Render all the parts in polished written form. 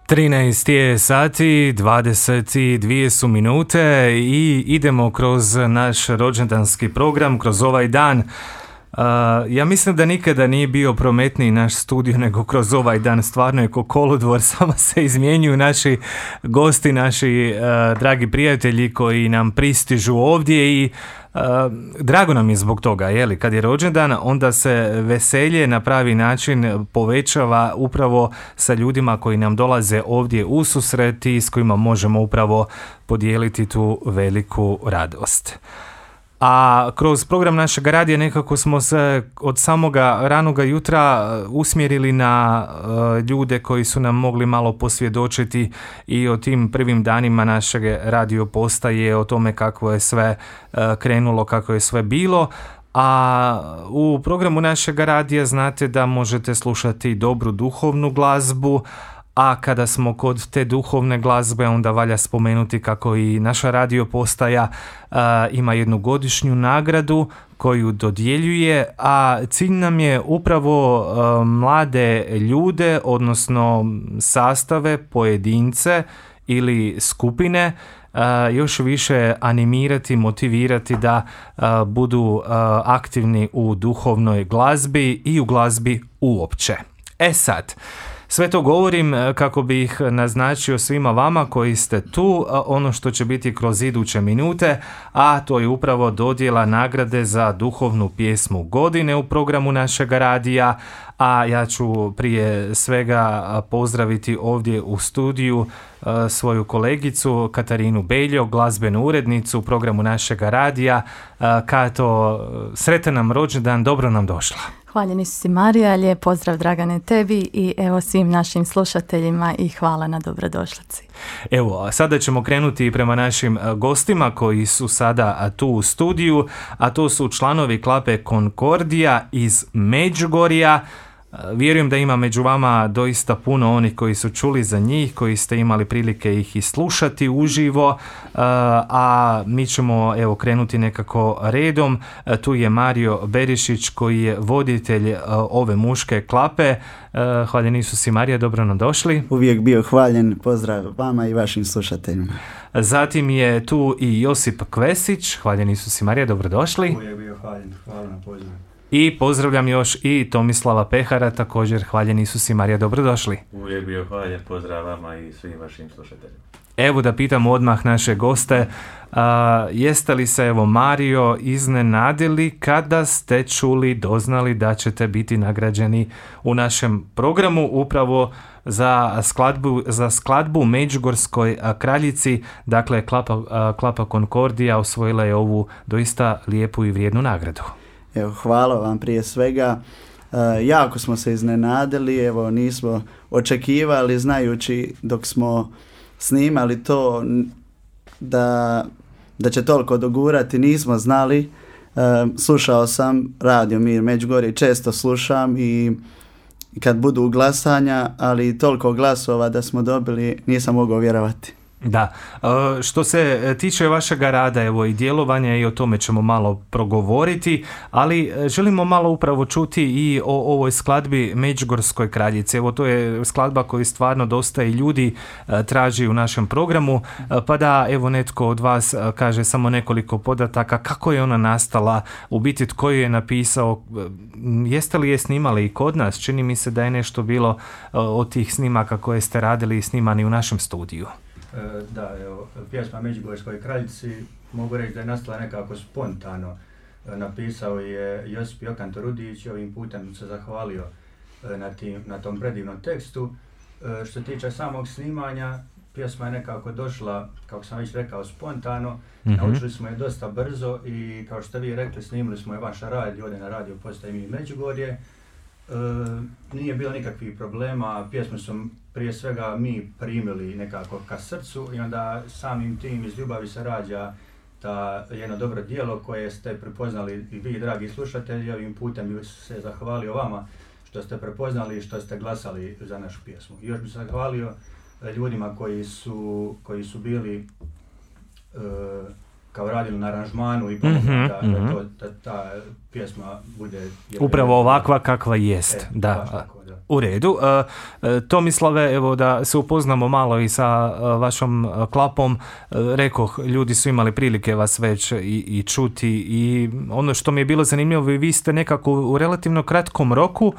13 je sati, 22 su minute i idemo kroz naš rođendanski program, kroz ovaj dan. Ja mislim da nikada nije bio prometniji naš studio nego kroz ovaj dan. Stvarno je ko kolodvor, samo se izmjenjuju naši gosti, naši dragi prijatelji koji nam pristižu ovdje i drago nam je zbog toga, jeli, kad je rođendan onda se veselje na pravi način povećava upravo sa ljudima koji nam dolaze ovdje u susret i s kojima možemo upravo podijeliti tu veliku radost. A kroz program našeg radija nekako smo se od samoga ranoga jutra usmjerili na ljude koji su nam mogli malo posvjedočiti i o tim prvim danima našeg radio postaje, o tome kako je sve krenulo, kako je sve bilo. A u programu našeg radija znate da možete slušati dobru duhovnu glazbu, a kada smo kod te duhovne glazbe onda valja spomenuti kako i naša radio postaja ima jednu godišnju nagradu koju dodjeljuje, a cilj nam je upravo mlade ljude, odnosno sastave, pojedince ili skupine još više animirati, motivirati da budu aktivni u duhovnoj glazbi i u glazbi uopće. Sad, sve to govorim kako bih naznačio svima vama koji ste tu ono što će biti kroz iduće minute, a to je upravo dodjela nagrade za duhovnu pjesmu godine u programu našeg radija, a ja ću prije svega pozdraviti ovdje u studiju svoju kolegicu Katarinu Beljo, glazbenu urednicu u programu našeg radija. Kato, sretan nam rođendan, dobro nam došla. Hvaljeni su si Marija, lijep pozdrav Dragane tebi i evo svim našim slušateljima i hvala na dobrodošlici. Evo, sada ćemo krenuti prema našim gostima koji su sada tu u studiju, a to su članovi Klape Konkordija iz Međugorja. Vjerujem da ima među vama doista puno onih koji su čuli za njih, koji ste imali prilike ih i slušati uživo, a mi ćemo evo krenuti nekako redom. Tu je Mario Berišić koji je voditelj ove muške klape. Hvaljen Isus i Marija, dobro nam došli. Uvijek bio hvaljen, pozdrav vama i vašim slušateljima. Zatim je tu i Josip Kvesić, hvaljen Isus i Marija, dobro došli. Uvijek bio hvaljen, hvala na pozivu. I pozdravljam još i Tomislava Pehara, također hvaljen Isus i Marija, dobrodošli. Uvijek bio hvaljen, pozdrav vama i svim vašim slušateljima. Evo da pitam odmah naše goste, jeste li se evo Mario iznenadili kada ste čuli, doznali da ćete biti nagrađeni u našem programu upravo za skladbu Međugorskoj kraljici, dakle Klapa Konkordija osvojila je ovu doista lijepu i vrijednu nagradu. Evo, hvala vam prije svega. Jako smo se iznenadili, evo nismo očekivali znajući dok smo snimali to da će toliko dogurati, nismo znali. Slušao sam Radio Mir Međugorje, često slušam i kad budu glasanja, ali toliko glasova da smo dobili, nisam mogao vjerovati. Da, što se tiče vašega rada evo i djelovanja i o tome ćemo malo progovoriti, ali želimo malo upravo čuti i o ovoj skladbi Međugorskoj kraljici. Evo to je skladba koju stvarno dosta i ljudi traži u našem programu, pa da evo netko od vas kaže samo nekoliko podataka kako je ona nastala, u biti tko je napisao, jeste li je snimali i kod nas, čini mi se da je nešto bilo od tih snimaka koje ste radili i snimani u našem studiju. Da, evo, pjesma Međugorskoj kraljici mogu reći da je nastala nekako spontano. Napisao je Josip Jokan Torudić, ovim putem se zahvalio na tom predivnom tekstu. Što se tiče samog snimanja, pjesma je nekako došla, kako sam već rekao, spontano. Naučili smo je dosta brzo i kao što vi rekli, snimili smo je vaš radio, ovdje na radio postaji Mi Međugorje. Nije bilo nikakvih problema, pjesmu smo prije svega mi primili nekako ka srcu i onda samim tim iz ljubavi se rađa ta jedno dobro djelo koje ste prepoznali i vi, dragi slušatelji. Ovim putem bih se zahvalio vama što ste prepoznali i što ste glasali za našu pjesmu. I još bih se zahvalio ljudima koji su bili kao radili na aranžmanu i pomogli da ta pjesma bude... Upravo ovakva kakva jest. Da. Tako, da. U redu. Tomislave, evo da se upoznamo malo i sa vašom klapom. Rekoh, ljudi su imali prilike vas već i čuti i ono što mi je bilo zanimljivo, vi ste nekako u relativno kratkom roku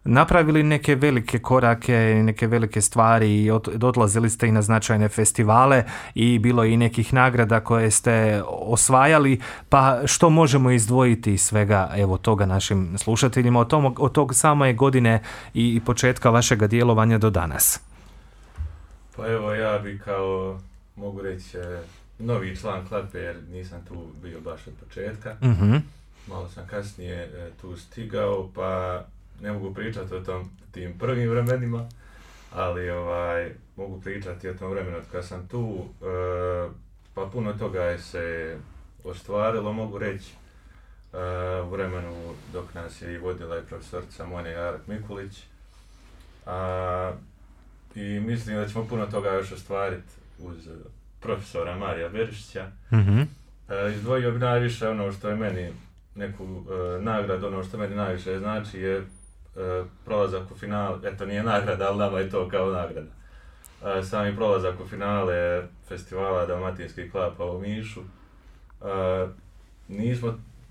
napravili neke velike korake, neke velike stvari i odlazili ste i na značajne festivale i bilo je i nekih nagrada koje ste osvajali, pa što možemo izdvojiti iz svega evo toga našim slušateljima od tog same godine i početka vašega djelovanja do danas? Pa evo ja bi kao, mogu reći, novi član klape jer nisam tu bio baš od početka. Malo sam kasnije tu stigao, pa ne mogu pričati o tim prvim vremenima, ali mogu pričati o tom vremenu kad sam tu, pa puno toga je se ostvarilo, mogu reći, u vremenu dok nas je i vodila i profesorica Monja Jarak-Mikulić, i mislim da ćemo puno toga još ostvariti uz profesora Marija Berišića. Izdvojio bi najviše ono što je meni neku nagradu, ono što meni najviše znači je prolazak u finale, eto nije nagrada, ali nama je to kao nagrada. Sami prolazak u finale festivala Dalmatinskih klapa u Omišu.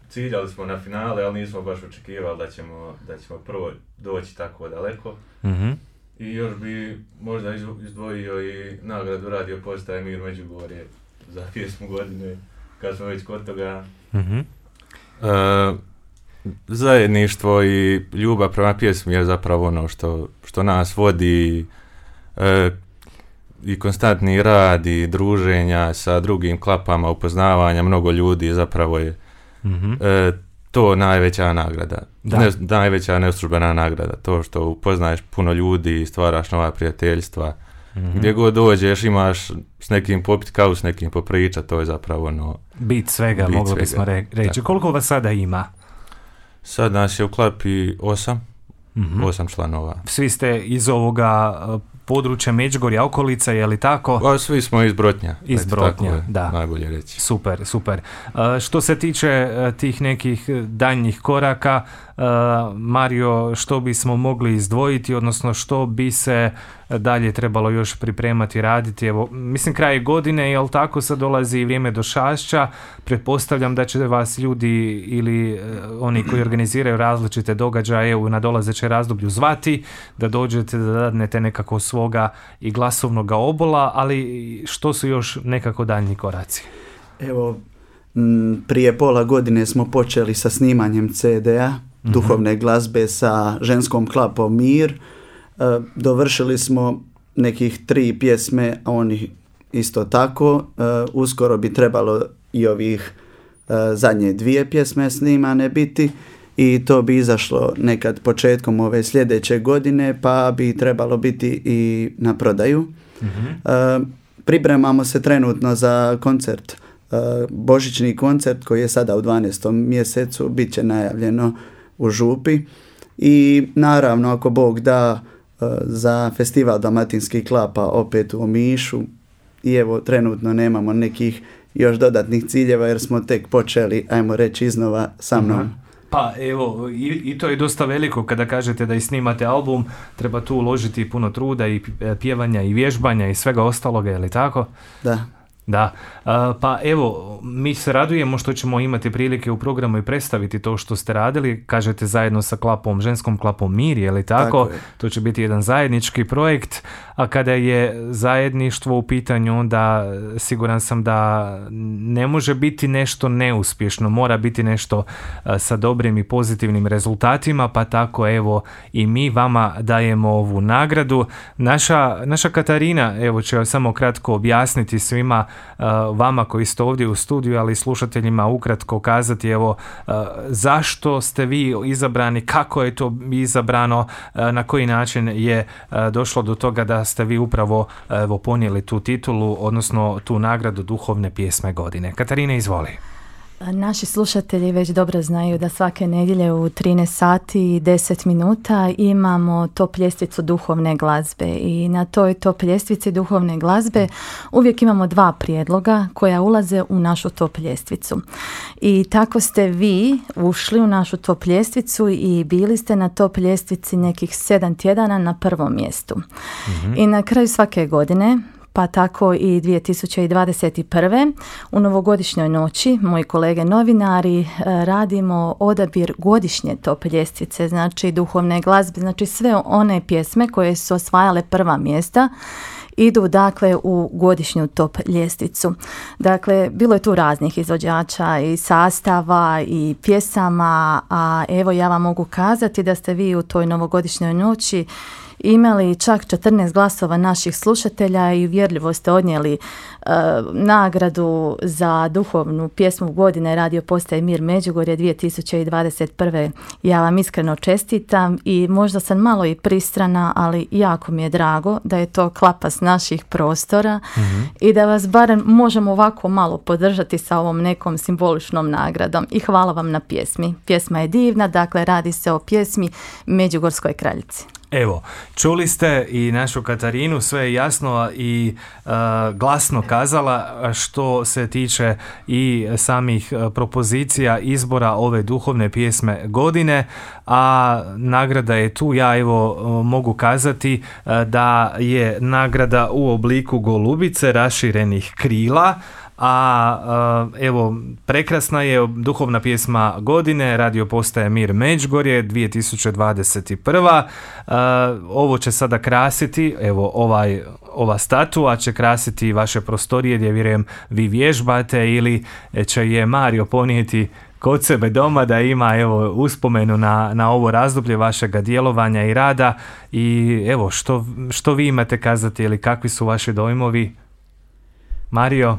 Ciljali smo na finale, ali nismo baš očekivali da ćemo prvo doći tako daleko. I još bi možda izdvojio i nagradu Radio postaje Mir Međugorje za pjesmu godine, kad smo već kod toga. Zajedništvo i ljubav prema pjesmi je zapravo ono što nas vodi, i konstantni rad i druženja sa drugim klapama, upoznavanja mnogo ljudi, zapravo je to najveća nagrada, najveća neostružbena nagrada, to što upoznaješ puno ljudi i stvaraš nova prijateljstva. Gdje god dođeš imaš s nekim popit kavu, s nekim popričat, to je zapravo ono... Bit svega, moglo bismo reći. Koliko vas sada ima? Sad nas je u klapi 8 članova. Svi ste iz ovoga područja Međugorja, okolica, je li tako? Svi smo iz Brotnja. Iz Brotnja, da. Najbolje reći. Super. Što se tiče tih nekih daljnjih koraka, Mario, što bismo mogli izdvojiti, odnosno što bi se dalje trebalo još pripremati, raditi? Evo, mislim, kraj godine, jel tako, sad dolazi i vrijeme Došašća, pretpostavljam da će vas ljudi ili oni koji organiziraju različite događaje u nadolazećem razdoblju zvati, da dođete, da dadnete nekako svoga i glasovnog obola, ali što su još nekako daljnji koraci? Evo, prije pola godine smo počeli sa snimanjem CD-a, duhovne glazbe sa ženskom klapom Mir. Dovršili smo nekih 3 pjesme, a oni isto tako. Uskoro bi trebalo i ovih zadnje 2 pjesme snimane biti i to bi izašlo nekad početkom ove sljedeće godine, pa bi trebalo biti i na prodaju. Pripremamo se trenutno za koncert, božićni koncert koji je sada u 12. mjesecu, bit će najavljeno u Župi i naravno ako Bog da za festival Dalmatinskih klapa opet u Omišu i evo trenutno nemamo nekih još dodatnih ciljeva jer smo tek počeli, ajmo reći, iznova sa mnom. Pa evo, i to je dosta veliko kada kažete da i snimate album, treba tu uložiti puno truda i pjevanja i vježbanja i svega ostaloga, je li tako? Da, pa evo, mi se radujemo što ćemo imati prilike u programu i predstaviti to što ste radili, kažete zajedno sa klapom, ženskom klapom Mir, je li tako? To će biti jedan zajednički projekt, a kada je zajedništvo u pitanju, onda siguran sam da ne može biti nešto neuspješno, mora biti nešto sa dobrim i pozitivnim rezultatima, pa tako evo i mi vama dajemo ovu nagradu. Naša Katarina, evo će samo kratko objasniti svima vama koji ste ovdje u studiju, ali i slušateljima ukratko kazati evo zašto ste vi izabrani, kako je to izabrano, na koji način je došlo do toga da ste vi upravo ponijeli tu titulu, odnosno tu nagradu duhovne pjesme godine. Katarina, izvoli. Naši slušatelji već dobro znaju da svake nedjelje u 13 sati i 10 minuta imamo top ljestvicu duhovne glazbe i na toj top ljestvici duhovne glazbe uvijek imamo 2 prijedloga koja ulaze u našu top ljestvicu. I tako ste vi ušli u našu top ljestvicu i bili ste na top ljestvici nekih 7 tjedana na prvom mjestu. I na kraju svake godine, pa tako i 2021. u novogodišnjoj noći, moji kolege novinari, radimo odabir godišnje top ljestvice, znači duhovne glazbe, znači sve one pjesme koje su osvajale prva mjesta, idu dakle u godišnju top ljestvicu. Dakle, bilo je tu raznih izvođača i sastava i pjesama, a evo ja vam mogu kazati da ste vi u toj novogodišnjoj noći imali čak 14 glasova naših slušatelja i uvjerljivo ste odnijeli nagradu za duhovnu pjesmu godine Radio Postaje Mir Međugorje 2021. Ja vam iskreno čestitam i možda sam malo i pristrana, ali jako mi je drago da je to klapa s naših prostora i da vas barem možemo ovako malo podržati sa ovom nekom simboličnom nagradom. I hvala vam na pjesmi. Pjesma je divna, dakle radi se o pjesmi Međugorskoj kraljici. Evo, čuli ste i našu Katarinu, sve je jasno i glasno kazala što se tiče i samih propozicija izbora ove duhovne pjesme godine, a nagrada je tu. Ja evo mogu kazati da je nagrada u obliku golubice raširenih krila, a evo prekrasna je duhovna pjesma godine Radio Postaje Mir Međugorje 2021. Ovo će sada krasiti, evo ova statua će krasiti vaše prostorije gdje vjerujem vi vježbate ili će je Mario ponijeti kod sebe doma da ima evo uspomenu na ovo razdoblje vašega djelovanja i rada. I evo što vi imate kazati ili kakvi su vaši dojmovi, Mario?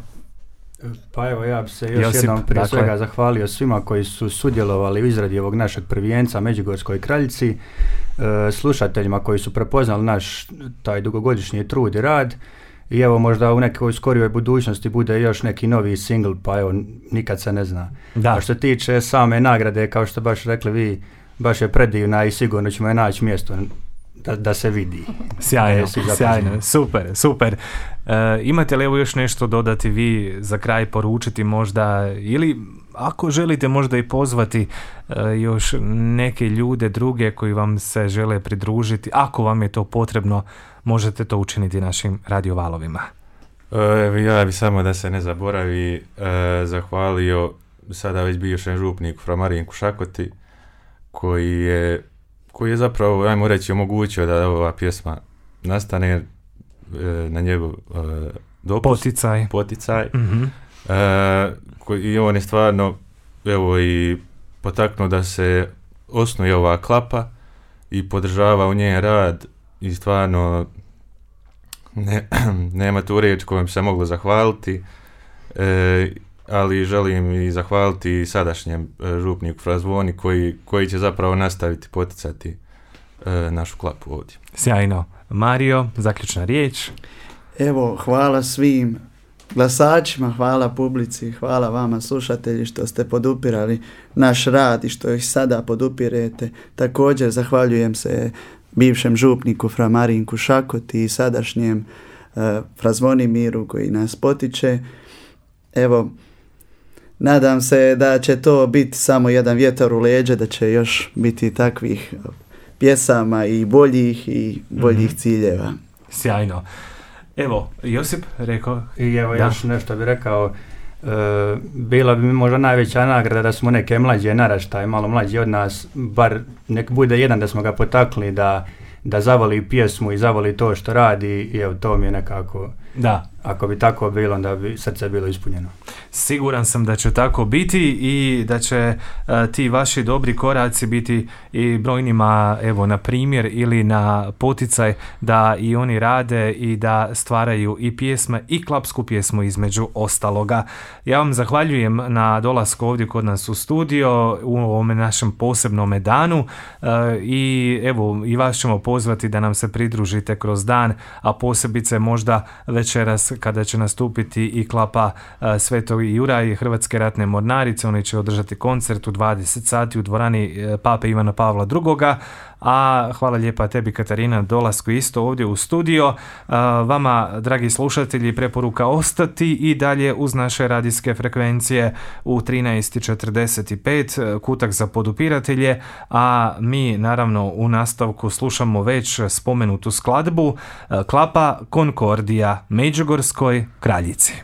Pa evo, ja bi se još jednom prije svega zahvalio svima koji su sudjelovali u izradi ovog našeg prvijenca Međugorskoj kraljici, slušateljima koji su prepoznali naš taj dugogodišnji trud i rad i evo možda u nekoj skorijoj budućnosti bude još neki novi single, pa evo nikad se ne zna. A što se tiče same nagrade, kao što baš rekli vi, baš je predivna i sigurno ćemo je naći mjesto da se vidi. Sjajno, super. Imate li evo još nešto dodati vi za kraj, poručiti možda, ili ako želite možda i pozvati još neke ljude druge koji vam se žele pridružiti, ako vam je to potrebno, možete to učiniti našim radiovalovima. Ja bi samo da se ne zaboravi zahvalio sada već bivšem župniku fra Marinku Šakoti koji je zapravo, ajmo reći, omogućio da ova pjesma nastane na njegov poticaj. I on je stvarno evo i potaknuo da se osnuje ova klapa i podržava u njen rad i stvarno nema tu riječ kojom se moglo zahvaliti, ali želim i zahvaliti sadašnjem župniku fra Zvoni koji će zapravo nastaviti poticati našu klapu ovdje. Sjajno. Mario, zaključna riječ. Evo, hvala svim glasačima, hvala publici, hvala vama slušatelji što ste podupirali naš rad i što ih sada podupirete. Također zahvaljujem se bivšem župniku fra Marinku Šakoti i sadašnjem fra Zvonimiru koji nas potiče. Evo, nadam se da će to biti samo jedan vjetar u leđa, da će još biti takvih pjesama i boljih ciljeva. Sjajno. Evo, Josip rekao... I evo još nešto bih rekao, bila bi mi možda najveća nagrada da smo neke mlađe naraštaje, malo mlađi od nas, bar nek bude jedan da smo ga potakli da zavoli pjesmu i zavoli to što radi i evo to mi je nekako... Da. Ako bi tako bilo, onda bi srce bilo ispunjeno. Siguran sam da će tako biti i da će ti vaši dobri koraci biti i brojnima evo na primjer ili na poticaj da i oni rade i da stvaraju i pjesme i klapsku pjesmu između ostaloga. Ja vam zahvaljujem na dolasku ovdje kod nas u studio u ovome našem posebnom danu i evo i vas ćemo pozvati pozvati da nam se pridružite kroz dan, a posebice možda večeras kada će nastupiti i klapa Svetog Jurja i Hrvatske ratne mornarice. Oni će održati koncert u 20 sati u dvorani Pape Ivana Pavla II. A hvala lijepa tebi, Katarina, dolasku isto ovdje u studio. Vama, dragi slušatelji, preporuka ostati i dalje uz naše radijske frekvencije u 13:45, kutak za podupiratelje, a mi naravno u nastavku slušamo već spomenutu skladbu, klapa Konkordija Međugorskoj kraljici.